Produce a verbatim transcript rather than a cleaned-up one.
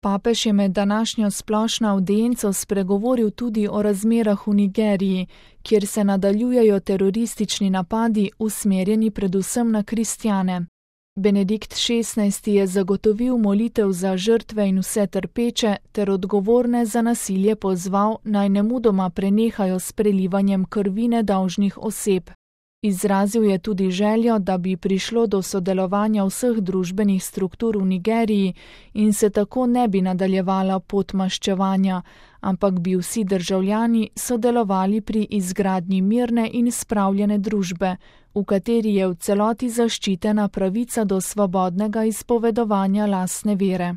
Papež je med današnjo splošno avdienco spregovoril tudi o razmerah v Nigeriji, kjer se nadaljujejo teroristični napadi, usmerjeni predvsem na kristjane. Benedikt šestnajsti je zagotovil molitev za žrtve in vse trpeče ter odgovorne za nasilje pozval, naj nemudoma prenehajo s prelivanjem krvi nedolžnih oseb. Izrazil je tudi željo, da bi prišlo do sodelovanja vseh družbenih struktur v Nigeriji in se tako ne bi nadaljevala pot maščevanja, ampak bi vsi državljani sodelovali pri izgradnji mirne in spravljene družbe, v kateri je v celoti zaščitena pravica do svobodnega izpovedovanja lastne vere.